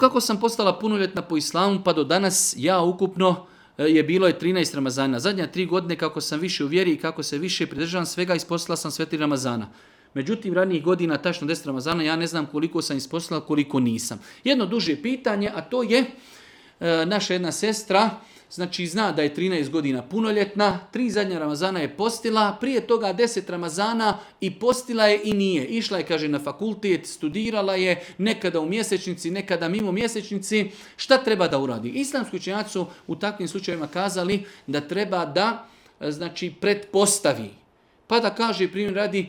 kako sam postala punoljetna po islamu pa do danas, ja ukupno bilo je 13 Ramazana. Zadnja 3 godine kako sam više u vjeri i kako se više pridržavam svega, ispostila sam sve 3 Ramazana. Međutim, ranijih godina, tačno 10 Ramazana, ja ne znam koliko sam ispostila, koliko nisam. Jedno duže pitanje, a to je naša jedna sestra, znači zna da je 13 godina punoljetna, 3 zadnja Ramazana je postila, prije toga 10 Ramazana i postila je i nije. Išla je, kaže, na fakultet, studirala je, nekada u mjesečnici, nekada mimo mjesečnici. Šta treba da uradi? Islamski učenjaci su u takvim slučajevima kazali da treba da, znači, pretpostavi. Pa da kaže, primjer radi,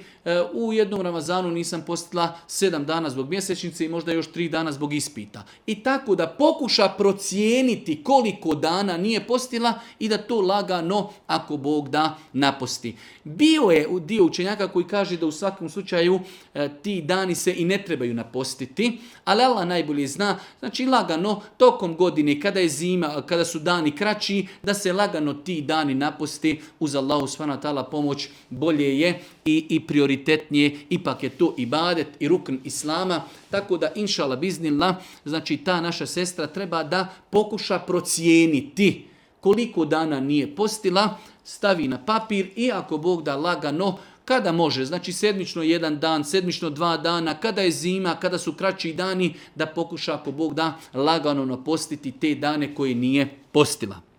u jednom Ramazanu nisam postila 7 dana zbog mjesečnice i možda još 3 dana zbog ispita. I tako da pokuša procijeniti koliko dana nije postila i da to lagano, ako Bog da, naposti. Bio je dio učenjaka koji kaže da u svakom slučaju ti dani se i ne trebaju napostiti, ali Allah najbolje zna, znači lagano tokom godine, kada je zima, kada su dani kraći, da se lagano ti dani naposti uz Allahu subhanahu wa ta'ala pomoć, bolje je i prioritetnije, ipak je to ibadet i rukn islama, tako da inšala biznillah, znači ta naša sestra treba da pokuša procijeniti koliko dana nije postila, stavi na papir i ako Bog da lagano, kada može, znači sedmično 1 dan, sedmično 2 dana, kada je zima, kada su kraći dani, da pokuša ako Bog da lagano napostiti te dane koje nije postila.